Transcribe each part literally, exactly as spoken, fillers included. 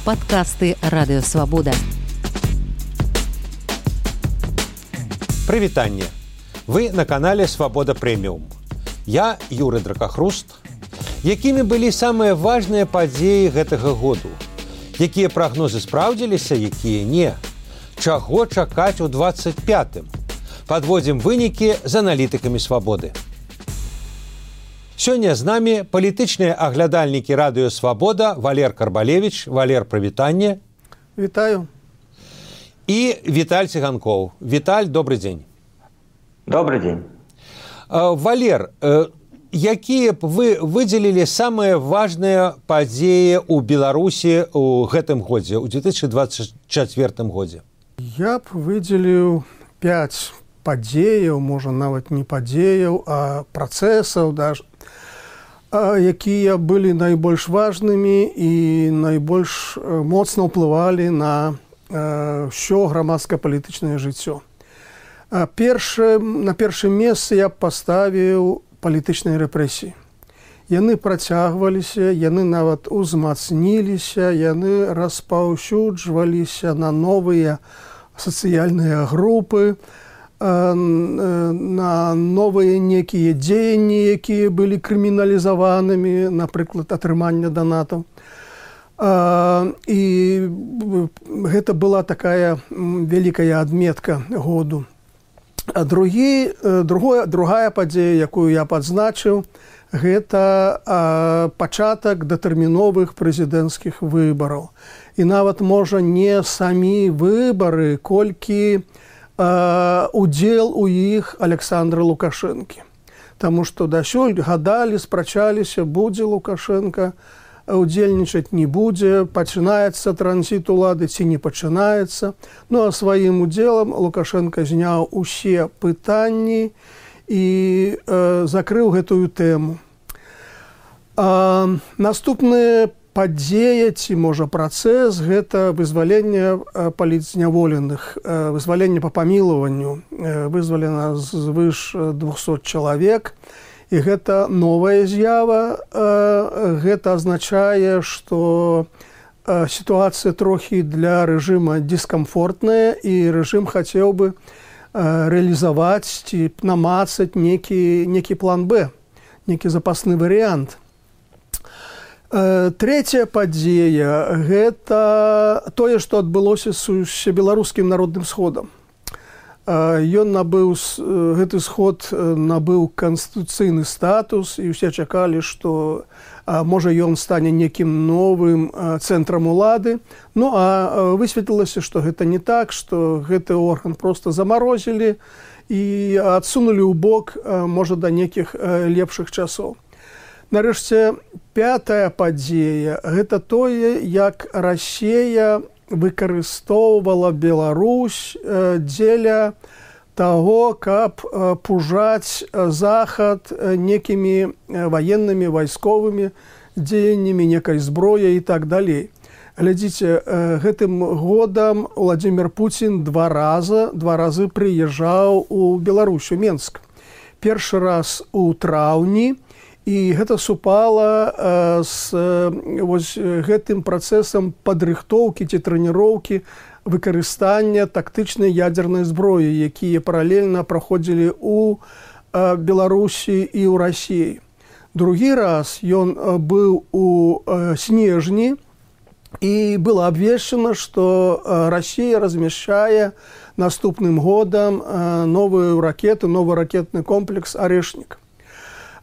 Падкасты Радыё Свабода. Прывітанне. Вы на канале Свабода Прэміум. Я Юры Дракахруст. Якімі былі самыя важныя падзеі гэтага году? Якія прагнозы спраўдзіліся, якія не? Чаго чакаць у двадцать пятым? Падводзім вынікі з аналітыкамі Свабоды. Сёння з намі палітычныя аглядальнікі Радыё Свабода Валер Карбалевіч. Валер, прывітанне. Вітаю. І Віталь Циганков. Віталь, добрый дзень. Добрый дзень. Валер, якія б вы выдзелілі самыя важныя падзеі ў Беларусі ў гэтым годзе, у две тысячи двадцать четвёртым годзе? Я б выдзеліў пяць падзеяў, можа нават не падзеяў, а працэсаў даже, якія былі найбольш важнымі і найбольш моцна ўплывалі на ўсё грамадска-палітычнае жыццё. Першы, на першым месцы я паставіў палітычныя рэпрэсіі. Яны працягваліся, яны нават узмацніліся, яны распаўсюджваліся на новыя сацыяльныя групы, на новыя некія дзеянні, якія былі крыміналізаванымі, напрыклад, атрымання данатаў. І гэта была такая вялікая адметка году. А другі, другое, другая падзея, якую я падзначыў, гэта пачатак датэрміновых прэзідэнцкіх выбараў. І нават, можа, не самі выбары, колькі удзел у іх Александра Лукашэнкі. Таму што дасюль гадалі, спрачаліся, будзе Лукашенко удзельнічаць, не будзе, пачынаецца транзіт улады ці не пачынаецца. Ну а сваім удзелам Лукашенко зняў усе пытанні і э, закрыў гэтую тэму. А, наступная падзея ці, можа, працэс – гэта вызваленне палітзняволеных, вызваленне па памілаванню. Вызвалена звыш двухсот чалавек. І гэта новая з'ява. Гэта азначае, што сітуацыя трохі для рэжыма дыскамфортная, і рэжым хацеў бы рэалізаваць ці намацаць некі, некі план Б, некі запасны варыянт. Трэцяя падзея – гэта тое, што адбылося з Усебеларускім народным сходам. Ён набыў, гэты сход набыў канстытуцыйны статус, і ўсе чакалі, што можа ён стане некім новым цэнтрам улады. Ну а высветлілася, што гэта не так, што гэты орган проста замарозілі і адсунулі ў бок, можа, да некіх лепшых часоў. Нарэшце, пятая падзея – гэта тое, як Расія выкарыстоўвала Беларусь дзеля таго, каб пужаць Захад некімі ваеннымі, вайсковымі дзеяннямі, некай зброяй і так далей. Глядзіце, гэтым годам Владзімір Пуцін два раза, два разы прыязджаў у Беларусь, у Менск. Першы раз у траўні, і гэта супала з вось гэтым працэсам падрыхтоўкі ці трэніроўкі выкарыстання тактычнай ядзернай зброі, якія паралельна праходзілі ў Беларусі і ў Расіі. Другі раз ён быў у снежні, і было абвешчана, што Расія размяшчае наступным годам новую ракету, новы ракетны комплекс «Арэшнік».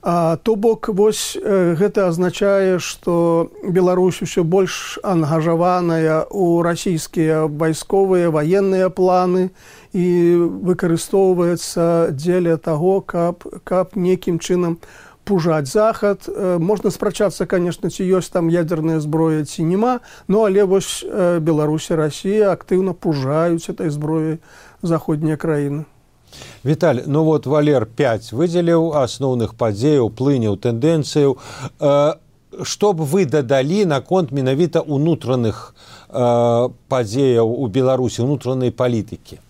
А, то бок, вось гэта азначае, што Беларусь усё больш ангажаваная ў расійскія вайсковыя, ваенныя планы і выкарыстоўваецца дзеля таго, каб, каб некім чынам пужаць Захад. Можна спрачацца, конечно, ці ёсць там ядерная зброя, ці няма, ну але вось Беларусь і Расія актыўна пужаюць этой зброяй заходнія краіны. Віталь, ну вот Валер пяць выдзеліў асноўных падзеяў, плыняў, тэндэнцыяў. Што б вы дадалі наконт менавіта ўнутраных падзеяў у Беларусі, ўнутранай палітыкі?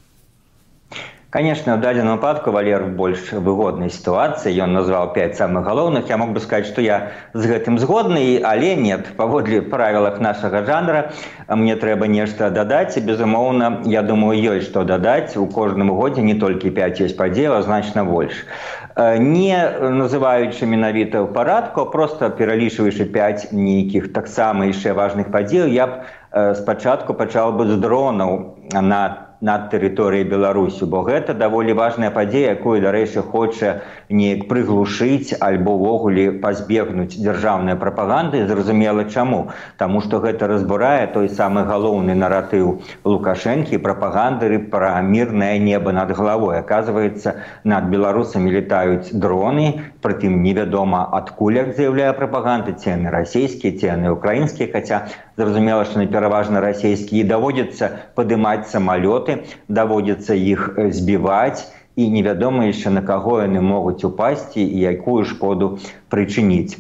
Конечно, в дадзеным выпадку Валер в больш выгоднай сітуацыі. Ён назваў пяць самых галоўных. Я мог бы сказаць, што я з гэтым згодны, але нет. Паводле правілах нашага жанра мне трэба нешта дадаць. І, безумоўна, я думаю, ёсць што дадаць. У кожным годзе не толькі пяць ёсць падзеяў, а значна больш. Не называючы менавіта ў парадку, а проста пералічваючы пяць нейкіх таксама яшчэ важных падзеяў, я б спачатку пачаў бы з дронаў на над тэрыторыяй Беларусі, бо гэта даволі важная падзея, якую, дарэчы, хоча неяк прыглушыць альбо ўвогуле пазбегнуць дзяржаўнай прапаганды. Зразумела чаму. Таму што гэта разбурае той самы галоўны наратыў Лукашэнкі, прапагандары пра мірнае неба над галавой. Аказваецца, над беларусамі летаюць дроны, прытым невядома адкуль, як заяўляе прапаганда, ці яны расійскія, ці яны украінскія, хаця зразумела, што пераважна расійскія, і даводзіцца падымаць самалёты, даводзіцца іх збіваць, і невядома яшчэ на каго яны могуць упасці і якую шкоду прычыніць.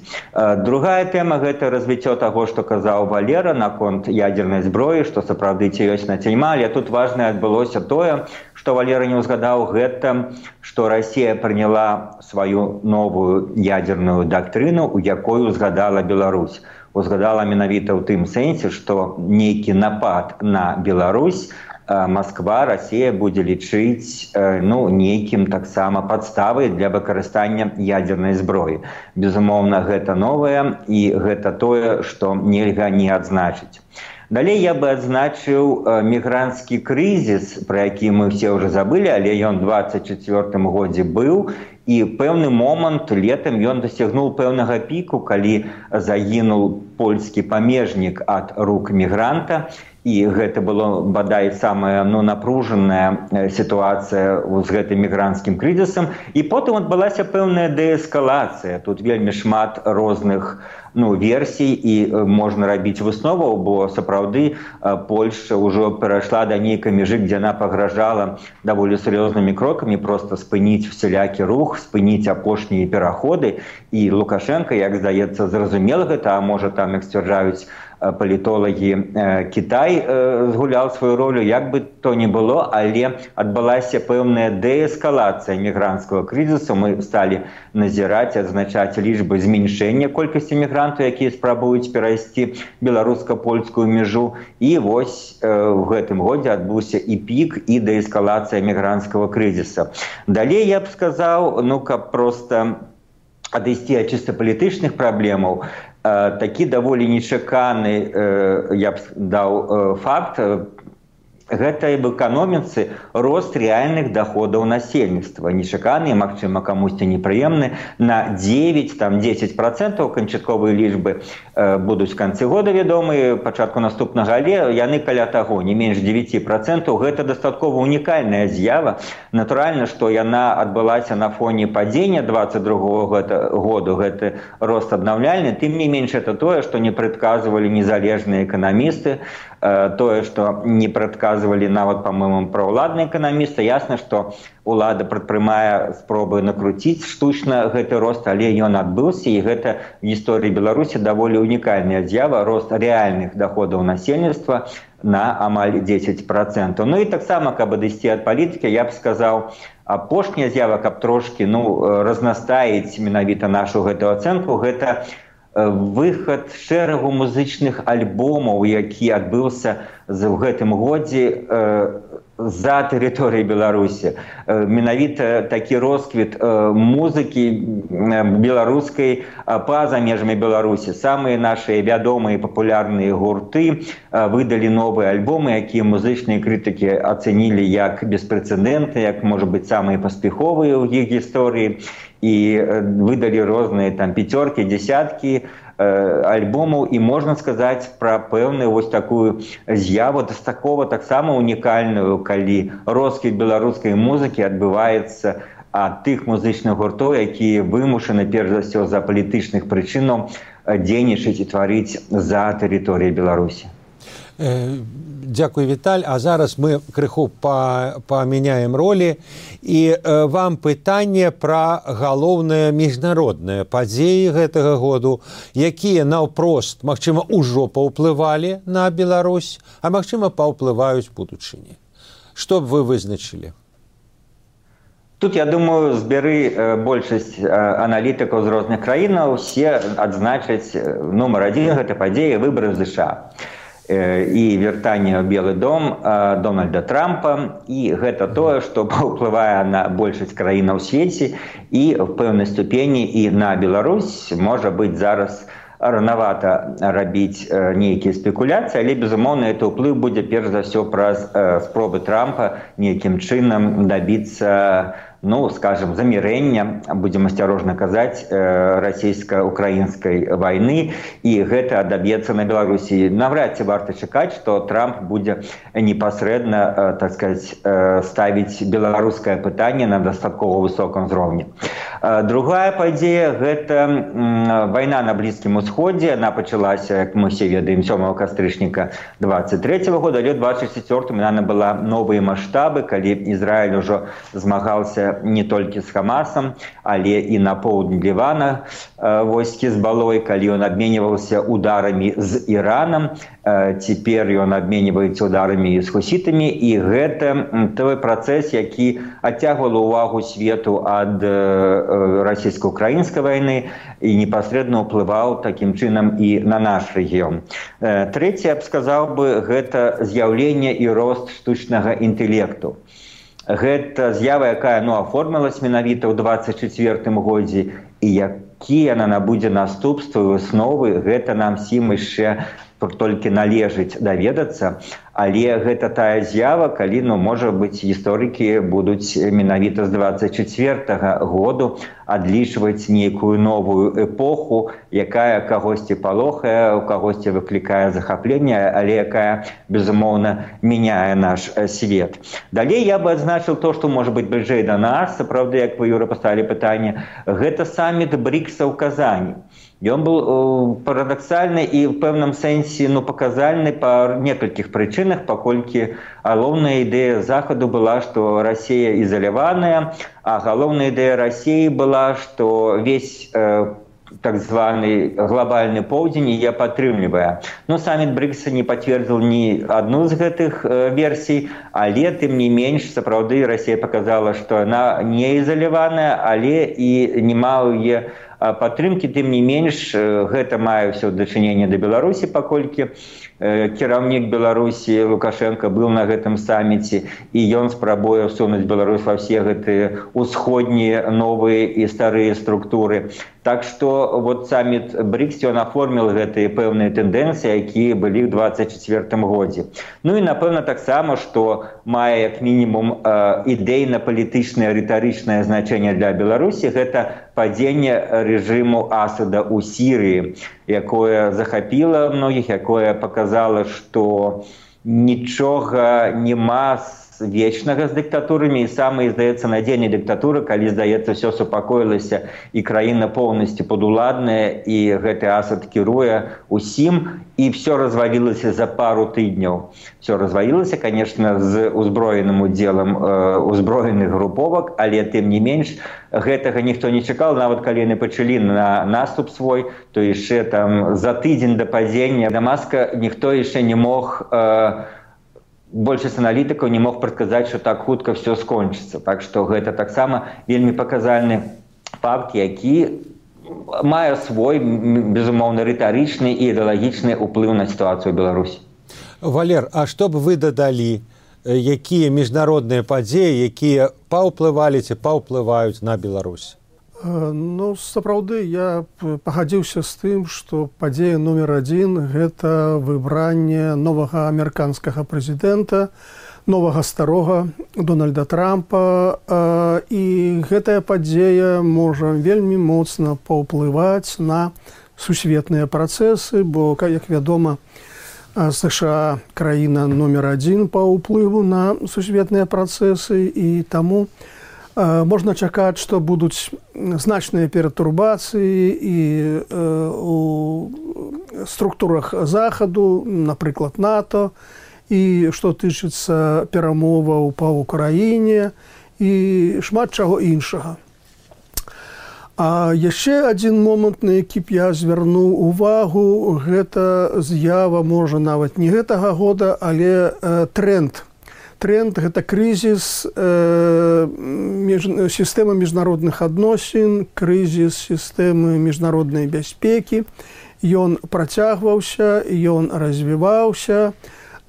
Другая тэма – гэта развіццё таго, што казаў Валера наконт ядзернай зброі, што сапраўды ці ёсць на цельма, але тут важна адбылося тое, што Валера не ўзгадаў гэта, што Расія прыняла сваю новую ядзерную дактрыну, у якой узгадала Беларусь. Узгадала менавіта ў тым сэнсе, што нейкі напад на Беларусь Москва, Расія будзе лічыць ну, нейкім таксама падставай для выкарыстання ядзернай зброі. Безумоўна, гэта новае, і гэта тое, што нельга не адзначыць. Далей я бы адзначыў мігранцкі крызіс, пра які мы ўсе ўжо забылі, але ён у дваццаць чацвёртым годзе быў, і пэўны момант летам ён дасягнуў пэўнага піку, калі загінуў польскі памежнік ад рук мігранта, і гэта было, бадай, самая ну, напружаная сітуацыя з гэтым мігранцкім крызісам. І потым адбылася пэўная дээскалацыя. Тут вельмі шмат розных ну, версій, і можна рабіць высноваў, бо сапраўды Польшча ўжо перайшла да нейкай мяжы, дзе яна пагражала даволі сур'ёзнымі крокамі проста спыніць усялякі рух, спыніць апошнія пераходы. І Лукашенко, як здаецца, зразумела гэта, а можа там, як сцвярджаюць палітолагі, Кітай згуляў сваю ролю, як бы то ни было, але адбылася пэўная дээскалацыя мігранцкага крызісу. Мы сталі назіраць, адзначаць лічбы зменшэння колькасці мігрантаў, якія спрабуюць перайсці беларуска-польскую мяжу. І вось в гэтым годзе адбыўся і пік, і дээскалацыя мігранцкага крызіса. Далей я б сказаў, ну, каб проста адысці ад чыста палітычных праблемаў, такі даволі нечаканы, я б даў факт, гэта в эканоміцы рост рэальных доходаў насельніцтва. Нечаканы, магчыма, камусьці непрыемны, на дзевяць-дзесяць процентаў канчатковыя лічбы будуць в канцы года вядомыя, пачатку наступнага, але яны каля таго, не менш дзевяць процентаў. Гэта дастаткова унікальная з'ява. Натуральна, што яна адбылася на фоне падзення дваццаць другога году, гэты рост аднаўляльны. Тым не менш, это тое, што не прадказвалі незалежныя эканамісты, тое, што не прадказвалі нават, па-моему, праўладныя эканамісты. Ясна, што улада прадпрымае спробы накруціць штучна гэты рост, але ён адбыўся, і гэта в гісторыі Беларусі даволі унікальная з'ява, рост рэальных доходаў насельніцтва на амаль дзесяць процентаў. Ну і таксама, каб адысці ад палітыкі, я б сказаў, апошняя з'ява, каб трошкі ну, разнастаіць менавіта нашу гэту ацэнку, гэта выхад шэрагу музычных альбомаў, які адбыўся в гэтым годзе за тэрыторыяй Беларусі. Менавіта такі росквіт музыкі беларускай па-за межамі Беларусі. Самыя нашы вядомыя папулярныя гурты выдалі новыя альбомы, якія музычныя крытыкі ацэнілі як беспрэцэдэнтныя, як, можа быць, самыя паспяховыя ў іх гісторыі. І выдалі розныя там пяцёркі, дзесяткі альбомаў, і можна сказаць пра пэўную вось такую з'яву дастаткова таксама унікальную, калі росквіт беларускай музыкі адбываецца ад тых музычных гуртоў, якія вымушаны перш за ўсё за палітычных прычынаў дзейнічаць і тварыць за тэрыторыяй Беларусі. Дзякуй, Віталь. А зараз мы крыху памяняем ролі, і вам пытанне пра галоўныя міжнародныя падзеі гэтага году, якія наўпрост, магчыма, ужо паўплывалі на Беларусь, а магчыма, паўплываюць будучыні. Што б вы вызначылі? Тут, я думаю, збяры большасць аналітыкаў з розных краінаў, усе адзначаць нумар адзін гэта падзеі выбары в ЗША. І вяртанне ў Белы дом Дональда Трампа, і гэта тое, што паўплывае на большасць краінаў у свеце і в пэўнай ступені і на Беларусь. Можа быць, зараз ранавата рабіць нейкія спекуляцыі, але, безумоўна, это ўплыў будзе перш за ўсё праз спробы Трампа нейкім чынам дабіцца, ну, скажем, замірэння, будзем асцярожна казаць, расійска-украінскай вайны, і гэта адаб'ецца на Беларусі. Навряд ці варта чакаць, што Трамп будзе непасрэдна, так сказаць, ставіць беларускае пытанне на дастаткова высокім узроўні. Другая падзея – гэта вайна на Блізкім Усходзе. Яна пачалася, як мы все ведаем, сёмага кастрычніка двадцать третьего года, але ў двадцать четвёртым яна набыла новыя маштабы, калі Ізраіль ужо змагаўся не толькі з Хамасам, але і на поўдні Лівана войскі з Балой, калі ён абменьваўся ударамі з Іранам. Цяпер ён абменьваецца ударамі з хусітамі, і гэта той працэс, які адцягвала ўвагу свету ад расійска-украінскай вайны і непасрэдна ўплываў такім чынам і на наш рэгіён. Трэцяе, я б сказаў бы, гэта з'яўленне і рост штучнага інтэлекту. Гэта з'ява, якая, ну, аформілась менавіта ў двадцать четвёртым годзе, і якія яна набудзе наступствы і высновы, гэта нам сім яшчэ толькі належыць даведацца, але гэта тая з'ява, калі, ну, можа быць, гісторыкі будуць менавіта з двадцать четвёртага году адлічваць нейкую новую эпоху, якая кагосьці палохае, у кагосьці выклікае захапленне, але якая, безумоўна, мяняе наш свет. Далей я бы адзначыў то, што можа быць бліжэй да нас, сапраўды, як вы, Юра, паставілі пытанне, гэта саміт брикса ў Казані. Ён быў парадаксальны і ў пэўным сэнсе, ну, паказальны па некалькіх прычынах, паколькі галоўная ідэя Захаду была, што Расія ізаляваная, а галоўная ідэя Расіі была, што весь э, так званы глобальны поўдзень яе падтрымлівае. Ну, саміт брикса не пацвердзіў ні адну з гэтых э, версій, але, тым не менш, сапраўды Расія паказала, што яна не ізаляваная, але і няма ў яе падтрымкі. Тым не менш, гэта мае ўсё дачыненне да Беларусі, паколькі кіраўнік Беларусі Лукашенко быў на гэтым саміце, і ён спрабуе всунуць Беларусь ва ўсе гэтыя усходнія новыя і старыя структуры. Так што вот саміт брикс, ён аформіў гэтыя пэўныя тэндэнцыі, якія былі ў двадцать четвёртым годзе. Ну і, напэўна, таксама, што мае як мінімум ідэйна-палітычнае рытарычнае значэнне для Беларусі, гэта падзенне рэжыму Асада ў Сірыі, якое захапіла многіх, якое паказала, што нічога няма вечнага з дыктатурамі, і самая, здаецца, надзейная дыктатура, калі, здаецца, ўсё супакоілася і краіна поўнасцю падуладная, і гэты Асад кіруе усім, і ўсё развалілася за пару тыдняў. Ўсё развалілася, конечно, з узброеным удзелам э, узброеных груповак, але, тым не менш, гэтага ніхто не чакаў. Нават калі яны пачалі на наступ свой, то яшчэ там за тыдзень да падзення Дамаска ніхто яшчэ не мог, э, большасць аналітыкаў не мог прадказаць, што так хутка ўсё скончыцца. Так што гэта таксама вельмі паказальны факт, які мае свой, безумоўна, рытарычны і ідэалагічны ўплыў на сітуацыю ў Беларусі. Валер, а што б вы дадалі, якія міжнародныя падзеі, якія паўплывалі ці паўплываюць на Беларусь? Ну, сапраўды, я пагадзіўся з тым, што падзея нумер адзін – гэта выбранне новага амерыканскага прэзідэнта, новага старога Дональда Трампа. І гэтая падзея можа вельмі моцна паўплываць на сусветныя працэсы, бо, як вядома, США краіна нумер адзін па ўплыву на сусветныя працэсы, і таму можна чакаць, што будуць значныя пературбацыі і у структурах Захаду, напрыклад, НАТО, і што тычыцца перамоваў па Ўкраіне і шмат чаго іншага. А яшчэ адзін момант, на які б я звярнуў увагу, гэта з'ява, можа, нават не гэтага года, але тренд. тренд гэта крызіс э, між, сістэмы міжнародных адносін, крызіс сістэмы міжнароднай бяспекі. Ён працягваўся, ён развіваўся.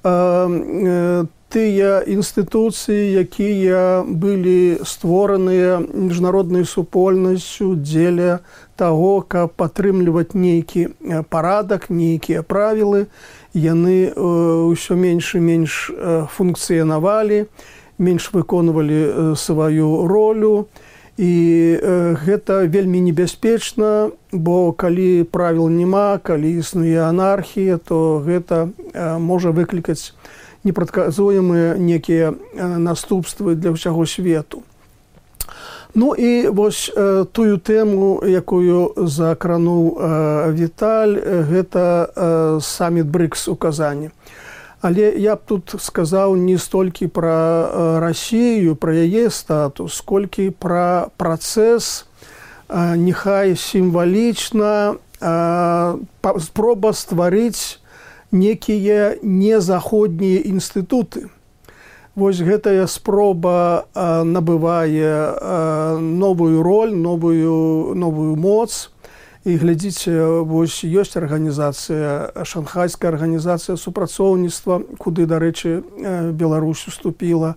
Э, э, тыя інстытуцыі, якія былі створаныя міжнароднай супольнасцю дзеля таго, каб падтрымліваць нейкі парадак, нейкія правілы, яны ўсё менш і менш функцыянавалі, менш выконвалі сваю ролю. І гэта вельмі небяспечна, бо калі правіл няма, калі існуе анархія, то гэта можа выклікаць непрадказуемыя некія наступствы для ўсяго свету. Ну і вось э, тую тэму, якую закрануў э, Віталь, гэта э, саміт брикс у Казані. Але я б тут сказаў не столькі пра э, Расію, пра яе статус, сколькі пра працэс, э, няхай сімвалічна, э, спроба стварыць некія незаходнія інстытуты. Вось гэтая спроба а, набывае а, новую роль, новую, новую моц. І глядзіце, вось ёсць арганізацыя, шанхайская арганізацыя супрацоўніцтва, куды, дарэчы, Беларусь уступіла,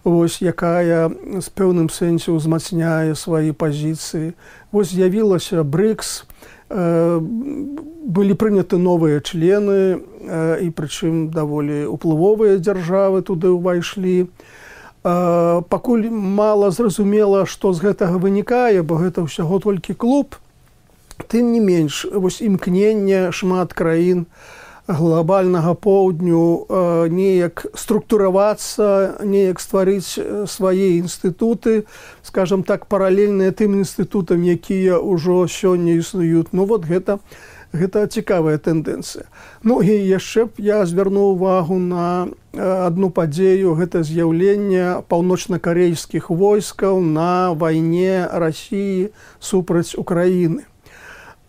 вось якая з пэўным сэнсе ўзмацняе свае пазіцыі. Вось з'явілася брикс, былі прыняты новыя члены, і прычым даволі ўплывовыя дзяржавы туды ўвайшлі. Пакуль мала зразумела, што з гэтага вынікае, бо гэта ўсяго толькі клуб, тым не менш, вось імкненне шмат краін глобальнага поўдню неяк структуравацца, неяк стварыць свае інстытуты, скажам так, паралельныя тым інстытутам, якія ўжо сёння існуюць. Ну вот гэта, гэта цікавая тэндэнцыя. Ну і яшчэ б я звярнуў увагу на адну падзею, гэта з'яўленне паўночна-карейскіх войскаў на вайне Расіі супраць Украіны.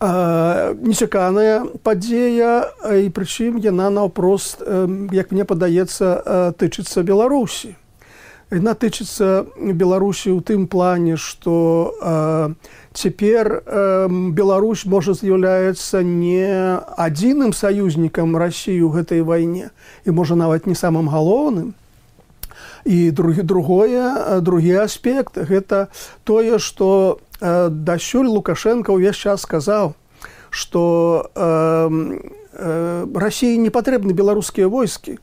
Нечаканая падзея, і прычым яна наўпрост, як мне падаецца, тычыцца Беларусі. Яна тычыцца Беларусі ў тым плане, што цяпер Беларусь можа з'яўляецца не адзіным саюзнікам Расіі ў гэтай вайне, і можа нават не самым галоўным. І другі, другое, другі аспект – гэта тое, што дасюль Лукашенко ўвесь час сказаў, што э, э, Расіі не патрэбны беларускія войскі.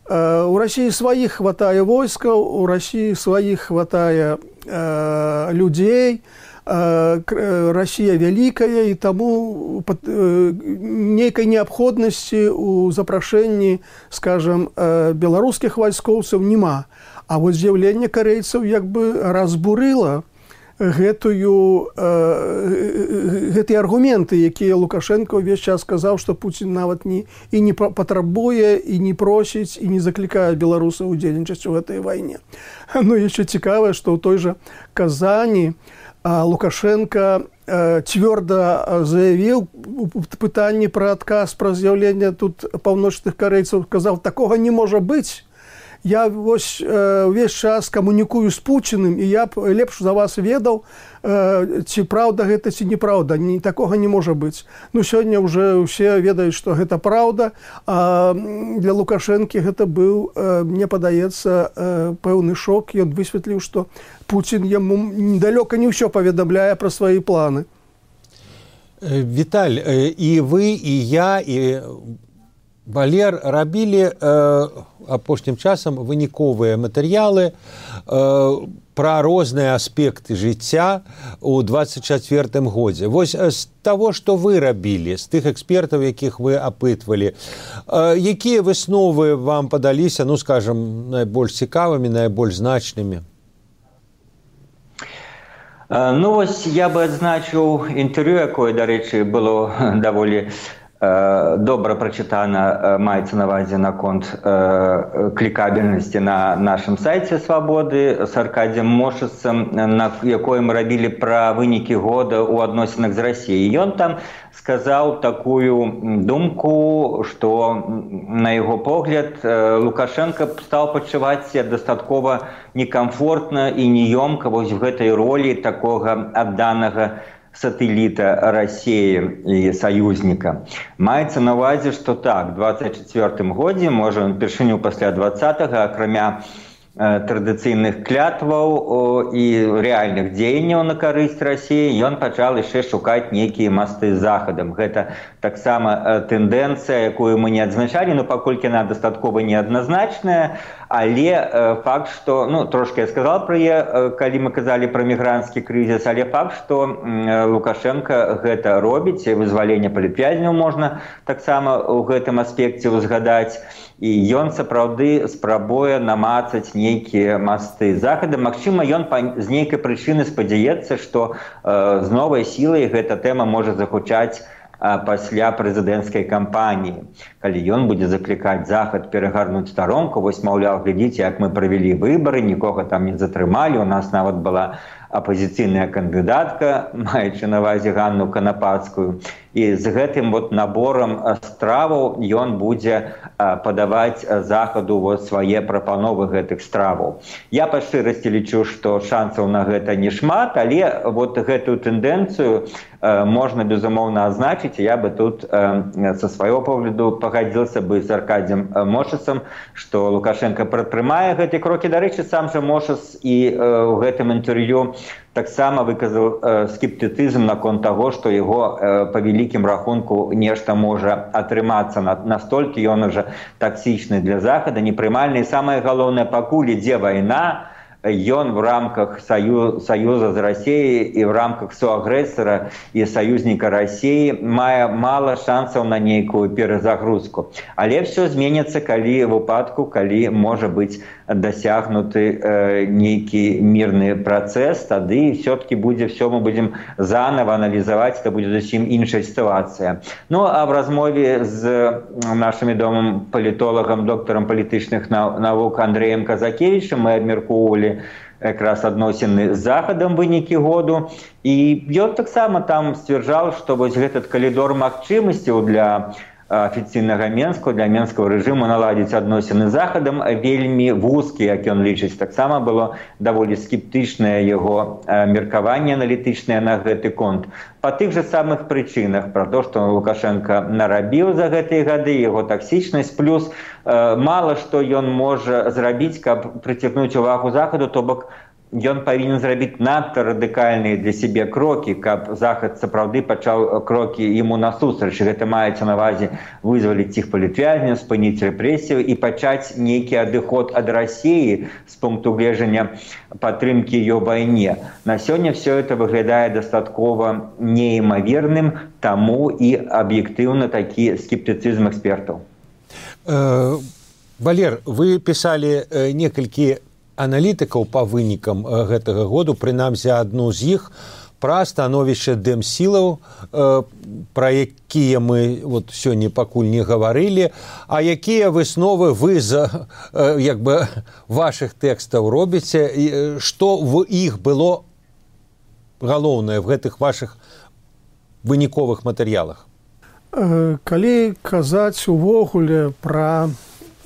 Э, у Расіі сваіх хватае войскаў, у Расіі сваіх хватае э, людзей, э, Расія вялікая, і таму э, нейкай неабходнасці ў запрашэнні, скажам, э, беларускіх вайскоўцаў няма. А вось з'яўленне карэйцаў як бы разбурыла гэтую, э, гэтыя аргументы, якія Лукашенко ўвесь час сказаў, што Пуцін нават не, і не патрабуе, і не просіць, і не заклікае беларусаў удзельнічаць у гэтай вайне. Ну, яшчэ цікавае, што ў той жа Казані Лукашенко э, цвёрда заявіў у пытанні пра адказ пра з'яўленне тут паўночных карэйцаў, казаў, такога не можа быць. Я вось увесь час камунікую з Пуціным, і я б лепш за вас ведаў, ці праўда гэта, ці неправда. Ні, такога не можа быць. Ну, сёння ўжо ўсе ведаюць, што гэта праўда, а для Лукашэнкі гэта быў, мне падаецца, пэўны шок. Ён высветліў, што Пуцін яму недалёка не ўсё паведамляе пра свае планы. Віталь, і вы, і я, і Валер рабілі э, апошнім часам выніковыя матэрыялы э, пра розныя аспекты жыцця ў двадцать чацвёртым годзе. Вось з таго, што вы рабілі, з тых экспертаў, якіх вы апытвалі, э, якія высновы вам падаліся, ну, скажам, найбольш цікавымі, найбольш значнымі? Ну, вось я бы адзначыў інтэрв'ю, якое, дарэчы, было даволі добра прачытана, маецца на ўвазе наконт клікабельнасці на нашым сайце «Свабоды» з Аркадзем Мошыцам, на якой мы рабілі пра вынікі года ў адносінах з Расіяй. Ён там сказаў такую думку, што, на яго погляд, Лукашенко стаў пачуваць сябе дастаткова некамфортна і неёмка вось в гэтай ролі такога адданага сателлита России и союзника. Маецца на ўвазе, што так, двадцать четвёртым годзе, можа, он першыню пасля двадцатага, акрамя э, традыцыйных клятваў і рэальных дзеянняў на карысць России, ён пачал яшчэ шукаць нейкія масты з захадам. Гэта таксама э, тэндэнцыя, якую мы не адзначалі, но паколькі яна дастаткова неадназначная, але э, факт, што, ну, трошки я сказал пра яе, э, калі мы казалі пра мігранцкі крызіс, але факт, што э, Лукашенко гэта робіць, вызваленне палітвязняў можна таксама ў гэтым аспекце узгадаць, і ён сапраўды спрабуе намацаць нейкія масты захада. Магчыма, ён з нейкай прычыны спадзяецца, што э, з новай сілай гэта тэма можа загучаць пасля прэзідэнцкай кампаніі, калі ён будзе заклікаць захад перагарнуць старонку, вось, маўляў, глядзіце, як мы правялі выбары, нікога там не затрымалі, у нас нават была апозіцыйная кандыдатка, маючы на ўвазе Ганну Канапацкую, і з гэтым вот наборам страваў ён будзе падаваць захаду вот свае прапановы гэтых страваў. Я па шчырасці лічу, што шансаў на гэта не шмат, але вот гэтую тэндэнцыю можна, безумоўна, азначыць. Я бы тут са свайго погляду пагадзіўся бы з Аркадзем Мошыцам, што Лукашенко прадпрымае гэтыя крокі. Дарэчы, сам жа Мошыц і ў гэтым інтэрв'ю таксама выказаў скептыцызм наконт таго, што яго па вялікім рахунку нешта можа атрымацца. Настолькі ён ужо таксічны для захада, непрымальны. І самае галоўнае, пакуль ідзе вайна, ён в рамках сою, саюза з Расіяй і в рамках суагрэсара і саюзніка Расіі мае мала шансаў на нейкую перазагрузку. Але все зменіцца, калі выпадку, калі можа быць дасягнуты э, нейкі мірны працэс, тады все-таки будзе все, мы будем заново аналізаваць, это будзе зусім іншая сітуацыя. Ну, а в размове з нашим вядомым палітолагам, доктарам палітычных навук Андрэем Казакевічам мы абмяркоўвалі якраз адносіны з захадам вынікі году, і ён таксама там сцвярджаў, што вось гэтый калідор магчымасцяў для афіцыйнага Менска, для менскага рэжыму наладзіць адносіны з захадам вельмі вузкі, як ён лічыць. Таксама было даволі скептычнае яго меркаванне аналітычнае на гэты конт. Па тых жа самых прычынах, пра то, што Лукашенко нарабіў за гэтыя гады, яго таксічнасць, плюс э, мала што ён можа зрабіць, каб прыцягнуць увагу захаду, то бок ён павінен зрабіць надта радыкальныя для сябе крокі, каб захад сапраўды пачаў крокі яму насустрач. Гэта маецца на ўвазе вызваліць іх палітвязняў, спыніць рэпрэсію і пачаць нейкі адыход ад Расіі з пункту гледжання падтрымкі ёй вайне. На сёння все это выглядае дастаткова неімаверным, таму і аб'ектыўна такі скептыцызм экспертаў. Э, Валер, вы пісалі э, некалькі аналітыкаў па вынікам гэтага году, прынамсі адну з іх, пра становішча дэмсілаў, пра якія мы вот сёння пакуль не гаварылі, а якія высновы вы з як бы вашых тэкстаў робіце, што в іх было галоўнае в гэтых вашых выніковых матэрыялах? Калі казаць увогуле пра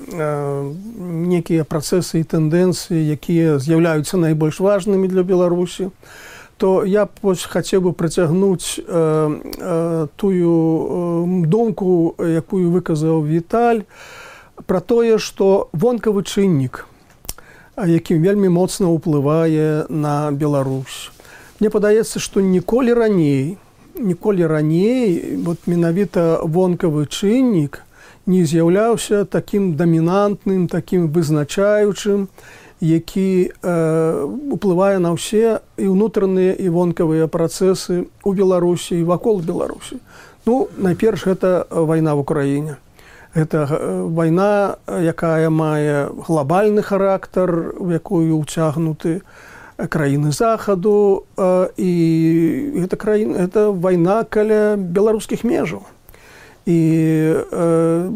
некія працэсы і тэндэнцыі, якія з'яўляюцца найбольш важнымі для Беларусі, то я хацеў бы працягнуць э, э, тую э, думку, якую выказаў Віталь, пра тое, што вонкавы чыннік, які вельмі моцна ўплывае на Беларусь. Мне падаецца, што ніколі раней, ніколі раней, вот менавіта вонкавы чыннік не з'яўляўся такім дамінантным, такім вызначаючым, які э, уплывае на ўсе і ўнутраныя і вонкавыя працэсы ў Беларусі і вакол Беларусі. Ну, найперш, гэта вайна в Украіне. Гэта вайна, якая мае глобальны характар, у якую ўцягнуты краіны захаду, э, і гэта, краіна, гэта вайна каля беларускіх межаў. І э,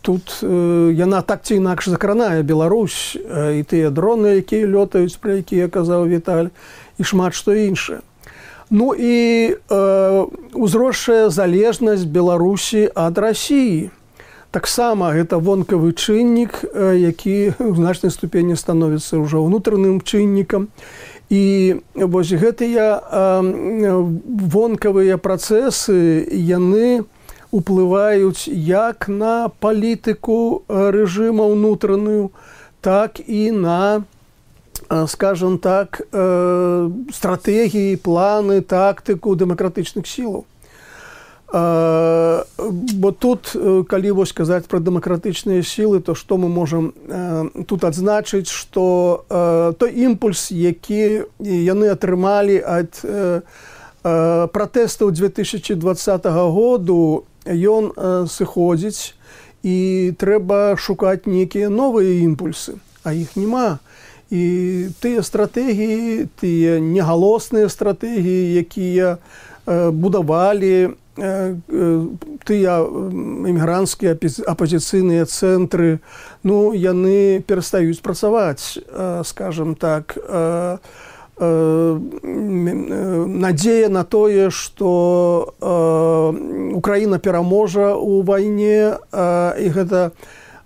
тут э, яна так ці інакш закранае Беларусь, э, і тыя дроны, якія лётаюць, пра якія казаў Віталь, і шмат што іншае. Ну і э, узросшая залежнасць Беларусі ад Расіі. Таксама гэта вонкавы чыннік, э, які ў значнай ступені становіцца ўжо ўнутраным чыннікам. І вось гэтыя э, вонкавыя працэсы, яны уплываюць як на палітыку рэжыма ўнутраную, так і на, скажем так, стратэгіі, планы, тактыку дэмакратычных сілаў. Бо тут, калі вось казаць пра дэмакратычныя сілы, то што мы можам тут адзначыць, што той імпульс, які яны атрымалі ад пратэстаў две тысячи двадцатага году, ён сыходзіць, і трэба шукаць нейкія новыя імпульсы, а іх няма. І тыя стратэгіі, тыя негалосныя стратэгіі, якія будавалі тыя эмігранцкія апазіцыйныя цэнтры, ну, яны перастаюць працаваць, скажем так. Надзея на тое, што Украіна пераможа ў вайне, і гэта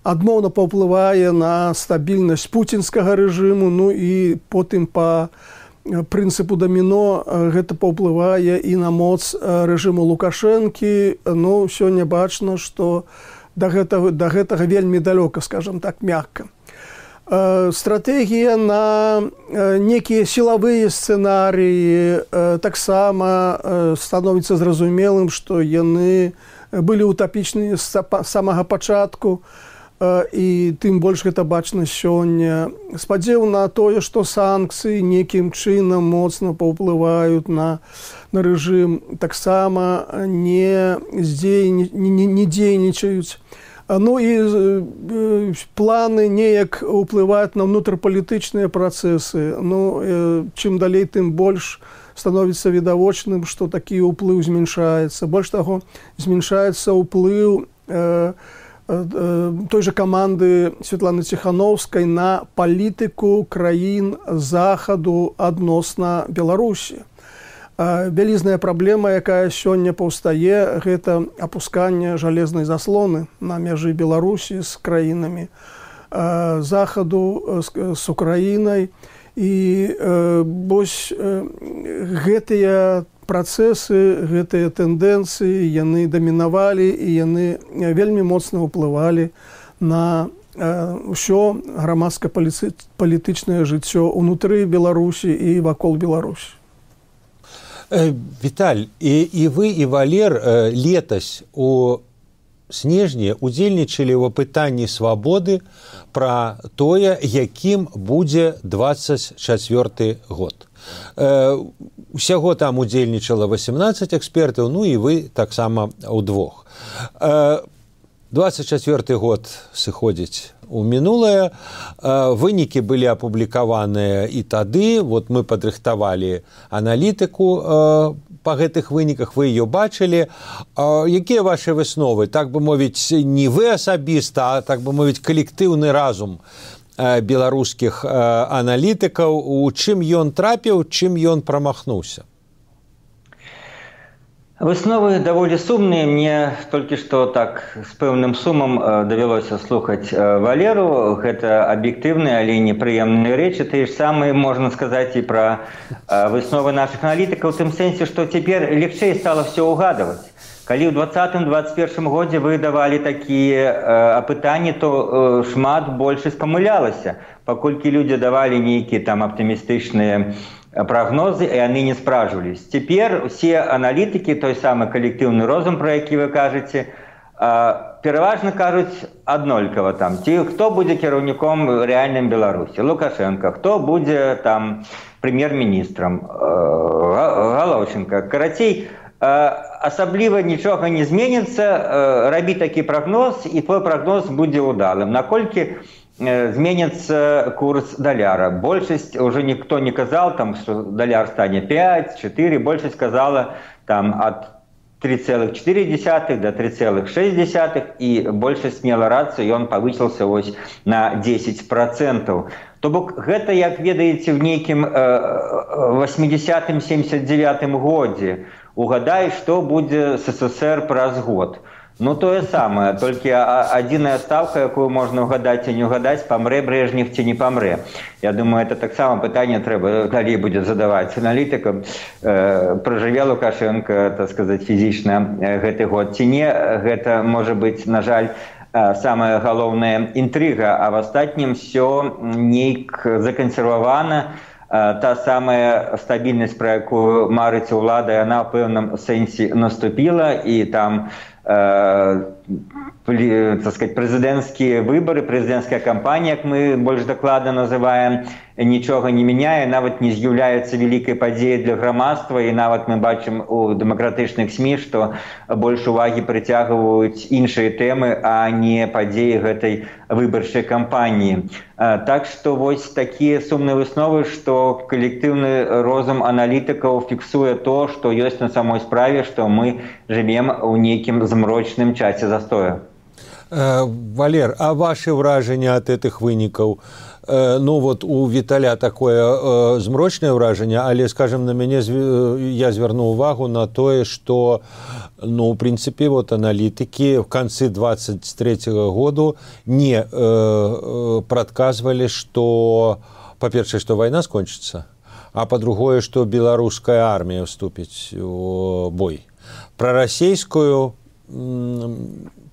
адмоўна паўплывае на стабільнасць пуцінскага рэжыму, ну і потым па прынцыпу даміно гэта паўплывае і на моц рэжыму Лукашэнкі. Ну, сёння бачна, што да гэтага, да гэтага вельмі далёка, скажам так, мякка. Стратэгія на некія сілавыя сцэнарыі таксама становіцца зразумелым, што яны былі утапічныя з самага пачатку, і тым больш гэта бачна сёння. Спадзеў на тое, што санкцыі некім чынам моцна паўплываюць на, на рэжым, таксама не, не, не дзейнічаюць. Ну і э, планы неяк уплываюць на ўнутрапалітычныя працэсы. Ну, э, чым далей, тым больш становіцца відавочным, што такі ўплыў змяншаецца. Больш таго, змяншаецца ўплыў э, э, той жа каманды Святланы Ціхановскай на палітыку краін захаду адносна Беларусі. Вялізная праблема, якая сёння паўстае, гэта апусканне жалезнай заслоны на мяжы Беларусі з краінамі захаду, з Украінай. І вось гэтыя працэсы, гэтыя тэндэнцыі, яны дамінавалі, і яны вельмі моцна ўплывалі на ўсё грамадска-палітычнае жыццё ўнутры Беларусі і вакол Беларусі. Віталь, і, і вы, і Валер летась у снежні удзельнічалі ў апытанні свабоды пра тое, якім будзе дваццаць чацвёрты год. Усяго там удзельнічала васемнаццаць экспертаў, ну і вы таксама ўдвох. дваццаць чацвёрты год сыходзіць у мінулае. Вынікі былі апублікаваныя і тады. Вот мы падрыхтавалі аналітыку па гэтых выніках, вы ее бачылі. Якія ваши высновы? Так бы мовіць, не вы асабіста, а так бы мовіць, калектыўны разум беларускіх аналітыкаў. У чым ён трапіў, чым ён прамахнуўся? Высновы даволі сумныя. Мне толькі што так з пэўным сумам давялося слухаць Валеру. Гэта аб'ектыўныя, але непрыемныя рэчы. Тыя ж самыя можна сказаць і пра высновы нашых аналітыкаў, у тым сэнсе, што цяпер легчэй стала ўсё ўгадаваць. Калі ў двадцатым двадцать першым годзе вы давалі такія апытанні, то шмат большасць памылялася, паколькі людзі давалі нейкія там аптымістычныя прогнозы, і яны не спражвались. Цяпер усе аналітыкі, той самы калектыўны розум, про які вы кажаце, пераважна кажуць аднолькава там, ці хто будзе кіраўніком рэальным Беларусі, Лукашенко, хто будзе там прэм'ер-міністрам, Галаўченко. Карацей, асабліва нічога не зменіцца, рабі такі прагноз, і твой прагноз будзе ўдалым. Наколькі зменится курс доляра. Большасць, уже никто не казал, там, что доляр стане пять, четыре, большасць сказала там, от три целых четыре десятых до три целых шесть десятых, и большасць мела рацыю, ён павысіўся вось на десять процентов. То бок гэта, як ведаеце, в нейкім восьмидесятым семьдесят девятым годзе. Угадай, што будзе СССР праз год. Ну, тое самае, толькі адзіная ставка, якую можна угадаць і не угадаць, памрэ Брежнев ці не памрэ. Я думаю, это таксама пытанне трэба далей будзе задаваць аналітыкам. Э, пражыве Лукашенко, так сказаць, фізічна гэты год ці не. Гэта можа быць, на жаль, самая галоўная інтрыга, а в астатнім все нейк закансервавана. Та самая стабільнасць, пра якую марыць улада, яна ў пэўным сэнсе наступіла, і там э, так сказать, прэзідэнцкія выбары, прэзідэнцкая кампанія, як мы больш дакладна называем, нічога не мяняе, нават не з'яўляецца вялікай падзеяй для грамадства, і нават мы бачым у дэмакратычных СМІ, што больш увагі прыцягваюць іншыя тэмы, а не падзеі гэтай выбарчай кампаніі. Так што вось такія сумныя высновы, што калектыўны розум аналітыкаў фіксуе то, што ёсць на самой справе, што мы жывем у нейкім змрочным часе застоя. Валер, а ваши ўражанні ад гэтых вынікаў? Ну вот у Віталя такое э, змрочнае ўражанне, але, скажем, на мяне я звярнуў увагу на тое, што, ну, в прынцыпе, вот аналітыкі в канцы двадцать третьего году не э, э, прадказвалі, што, па-першае, што вайна скончыцца, а па-другое, што беларуская армія вступіць у бой. Пра расійскую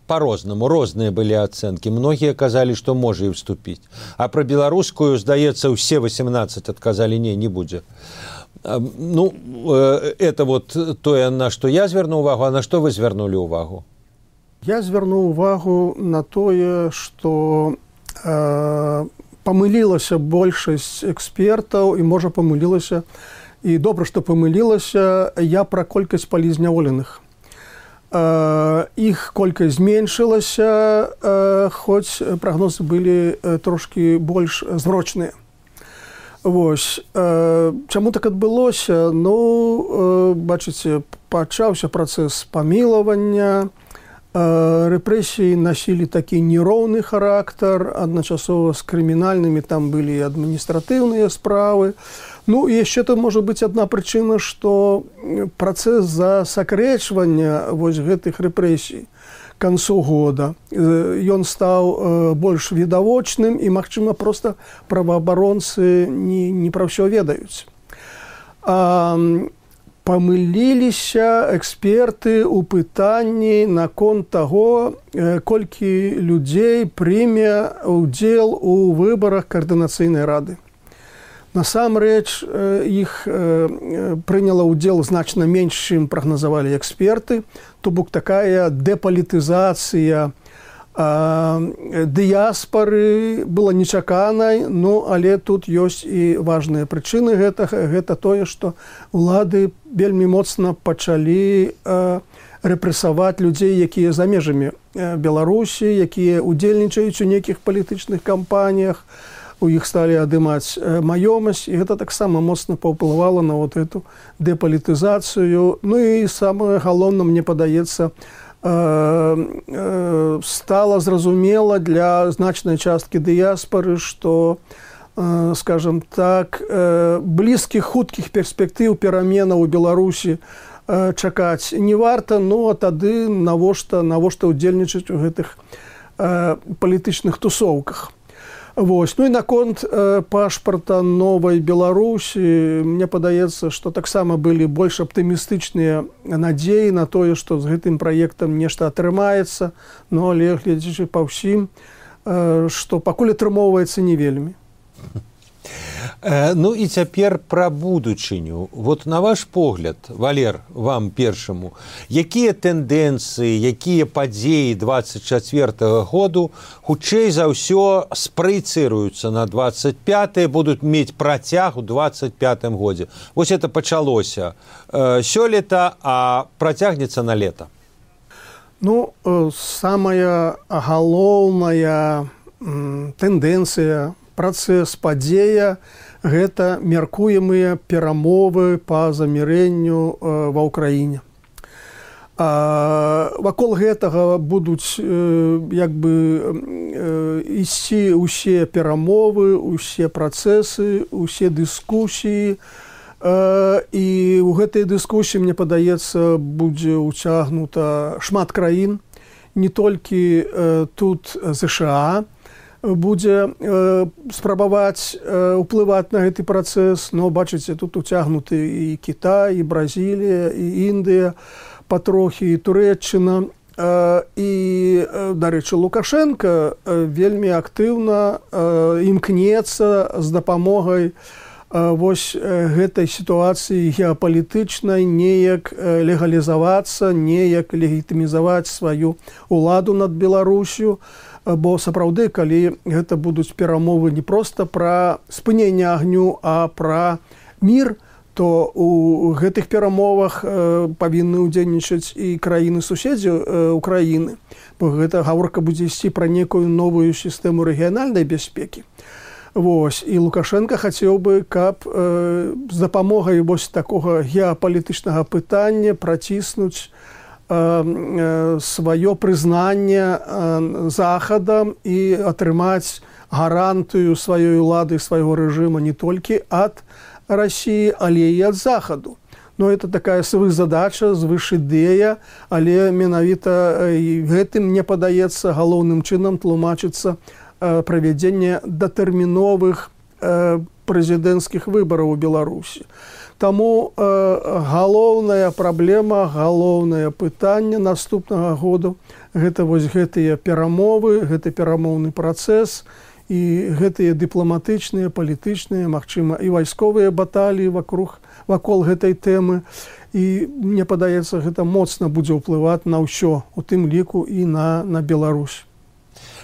по-рознаму, розныя былі ацэнкі. Многія казалі, што можа і вступіць. А пра беларускую, здаецца, усе восемнадцать адказалі, не, не будзе. Ну, это вот тое, на што я звярнуў увагу, а на што вы звярнулі ўвагу? Я звярнуў увагу на тое, што э, памылілася большасць экспертаў, і, можа, памылілася, і добра, што памылілася, я пра колькасць палізняволеных. Іх колькасць зменшылася, хоць прагнозы былі трошкі больш зрочныя. Вось. Чаму так адбылося? Ну, бачыце, пачаўся працэс памілавання, рэпрэсіі насілі такі нероўны характар, адначасова з крымінальнымі там былі адміністратыўныя справы. Ну, і яшчэ там можа быць адна прычына, што працэс засакрэчвання вось гэтых рэпрэсій к канцу года, ён стаў больш відавочным, і, магчыма, проста праваабаронцы не, не пра ўсё ведаюць. А, памыліліся эксперты ў пытанні наконт таго, колькі людзей прыме ўдзел у выбарах каардынацыйнай рады. Насамрэч, іх прыняла ўдзел значна менш, чым прагназавалі эксперты, то бок такая дэпалітызацыя дыяспары была нечаканай, ну, але тут ёсць і важныя прычыны гэтага. Гэта тое, што улады вельмі моцна пачалі рэпрэсаваць людзей, якія за межамі Беларусі, якія удзельнічаюць у нейкіх палітычных кампаніях, у іх сталі адымаць маёмасць, і гэта таксама моцна паўплывала на вот эту дэпалітызацыю. Ну і самае галоўнае, мне падаецца, стала зразумела для значнай часткі дыяспары, што, скажем так, блізкіх хуткіх перспектыў пераменаў у Беларусі чакаць не варта, ну а тады навошта навошта ўдзельнічаць у гэтых палітычных тусоўках. Вось. Ну і наконт э, пашпарта новай Беларусі, мне падаецца, што таксама былі больш аптымістычныя надзеі на тое, што з гэтым праектам нешта атрымаецца, но але гледзячы па ўсім, э, што пакуль атрымоўваецца не вельмі. Ну і цяпер пра будучыню. Вот на ваш погляд, Валер, вам першаму, якія тэндэнцыі, якія падзеі двадцать чацвёртага году хутчэй за ўсё спраецыруюцца на двадцать пятый, будуць мець працяг у двадцать пятым годзе? Вось это пачалося э, сёлета, а працягнецца на лета. Ну, э, самая галоўная э, тэндэнцыя, працэс, падзея – гэта мяркуемыя перамовы па замірэнню ва ўкраіне. А, вакол гэтага будуць як бы ісці ўсе перамовы, усе працэсы, усе дыскусіі. І ў гэтай дыскусіі, мне падаецца, будзе ўцягнута шмат краін, не толькі тут ЗША будзе спрабаваць уплываць на гэты працэс, но бачыце, тут уцягнуты і Кітай, і Бразілія, і Індыя, патрохі і Турэччына. І, дарэчы, Лукашенко вельмі актыўна імкнецца з дапамогай вось гэтай сітуацыі геапалітычнай неяк легалізавацца, неяк легітымізаваць сваю ўладу над Беларусю, бо сапраўды, калі гэта будуць перамовы не проста пра спыненне агню, а пра мір, то у гэтых перамовах павінны ўдзельнічаць і краіны-суседзі Украіны, бо гэта гаворка будзе ісці пра некую новую сістэму рэгіянальнай бяспекі. Вось, і Лукашенко хацеў бы, каб э, з дапамогай вось такога геапалітычнага пытання праціснуць э, э, сваё прызнанне э, Захадам і атрымаць гарантыю сваёй улады, свайго рэжыма не толькі ад Расіі, але і ад Захаду. Но это такая свызадача, звышідэя, але менавіта э, гэтым, мне падаецца, галоўным чынам тлумачыцца правядзення датэрміновых э, прэзідэнцкіх выбараў у Беларусі. Таму э, галоўная праблема, галоўнае пытанне наступнага году гэта вось гэтыя перамовы, гэты перамоўны працэс і гэтыя дыпламатычныя, палітычныя, магчыма, і вайсковыя баталіі вакруг вакол гэтай тэмы. І мне падаецца, гэта моцна будзе ўплываць на ўсё, у тым ліку і на, на Беларусь.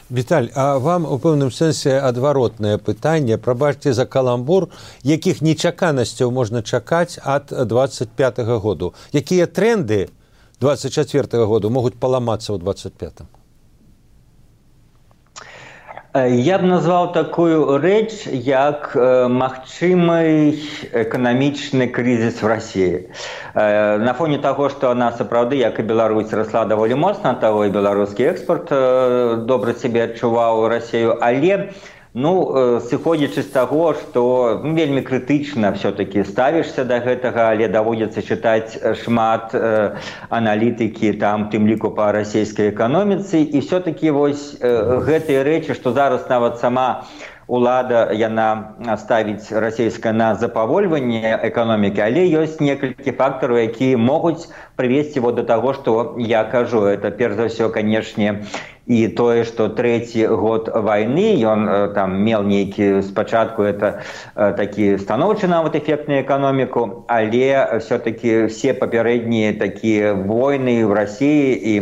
Віталь, а вам у пэўным сэнсе адваротнае пытанне, прабачце за каламбур, якіх нечаканасцяў можна чакаць ад двадцать пятага году? Якія тренды двадцать четвёртага году могуць паламацца ў двадцать пятым? Я б назваў такую рэч, як магчымы эканамічны крызіс в Расіі. На фоне таго, што она сапраўды, як і Беларусь, расла даволі моцна, таго і беларускі экспорт добра сябе адчуваў Расію, але ну, сыходзячы з таго, што ну, вельмі крытычна все-таки ставішся да гэтага, але даводзіцца чытаць шмат э, аналітыкі, там, тым ліку па расійскай эканоміцы, і все-таки вось э, гэтыя рэчы, што зараз нават сама улада, яна ставіць расійская на запавольванне эканомікі, але ёсць некалькі фактараў, якія могуць прывесці вот до таго, што я кажу. Это, перш за ўсё, канешне, і тое, што трэці год вайны, ён там меў нейкі спачатку, это такі станоўчы нават эфект на эканоміку, але все-таки все папярэднія такія войны в Расіі і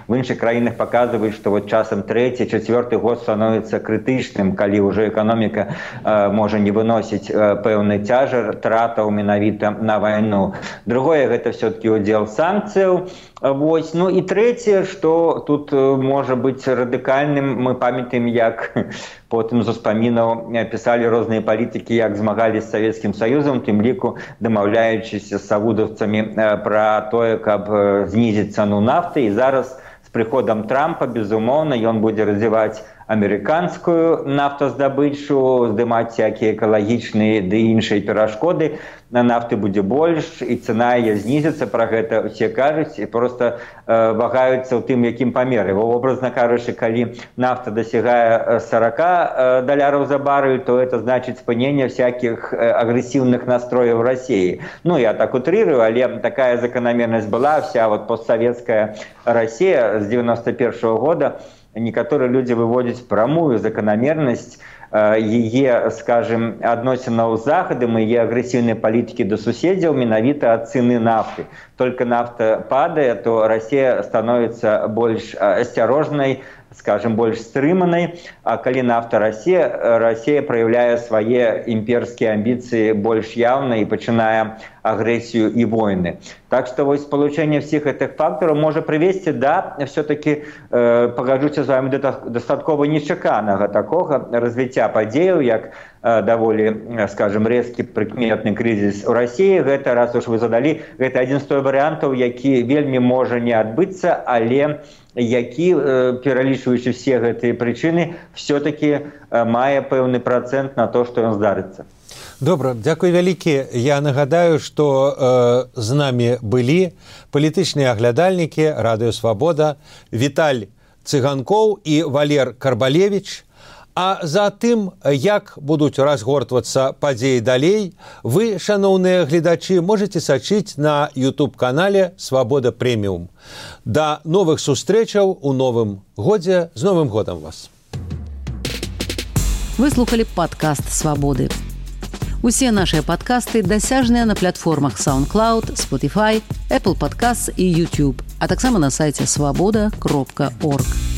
в іншых краінах паказваюць, што вот часам трэці, чацвёрты год становіцца крытычным, калі ўжо эканоміка э, можа не выносіць э, пэўны цяжар тратаў менавіта на вайну. Другое, гэта все-таки удзел санкцыяў. Вось. Ну і трэцяе, што тут можа быць радыкальным, мы памятаем, як потым з успамінаў пісалі розныя палітыкі, як змагались з Савецкім Саюзам, тым ліку дамаўляючыся з савудаўцамі пра тое, каб знізіць цану нафты. І зараз з прыходам Трампа, безумоўна, ён будзе развіваць амерыканскую нафтаздабычу, здымаць всякія экалагічныя ды іншыя перашкоды. На нафты будзе больш, і цана яе знізіцца, пра гэта ўсе кажуць, і проста э, вагаюцца ў тым, якім памеры. Образна кажучы, калі нафта дасягае сорок э, даляраў за барэль, то это значыць спыненне всяких э, агрэсіўных настрояў Расіі. Ну, я так утрырую, але такая закономернасць была, вся вот постсоветская Расія з девяносто первого года. Некаторыя людзі выводзяць прамую закономернасць яе, скажем, адносінаў з Захадам і яе агрэсіўнай палітыкі да суседзяў менавіта ад цены нафты. Только нафта падае, то Расія становіцца больш асцярожнай, скажем, больш стрыманай, а калі нафта Расія, Расія праяўляе свае імперскія амбіцыі больш яўна і пачынае агрэсію і войны. Так што вось спалучэнне всіх гэтых фактараў можа прывесці да, все-таки, э, пагаджуся з вами, да дастаткова нечаканага такога развіцця развіцця падзеяў, як даволі, скажем, рэзкі прыкметны крызіс у Расіі. Гэта, раз уж вы задалі, гэта адзін з той варыянтаў, які вельмі можа не адбыцца, але які, пералічваючы все гэтыя прычыны, все-таки мае пэўны працэнт на то, што ён здарыцца. Добра, дзякуй вялікі. Я нагадаю, што э, з намі былі палітычныя аглядальнікі Радыё Свабода Віталь Цыганкоў і Валер Карбалевіч. А за тым, як будуць разгортвацца падзеі далей, вы, шаноўныя гледачы, можете сачыць на ютуб-канале «Свабода Прэміум». Да новых сустрэчаў у новым годзе. З Новым годам вас! Вы слухали падкаст «Свабоды». Усе нашыя падкасты дасяжныя на платформах SoundCloud, Spotify, Apple Podcasts і YouTube, а таксама на сайце свабода кропка орг.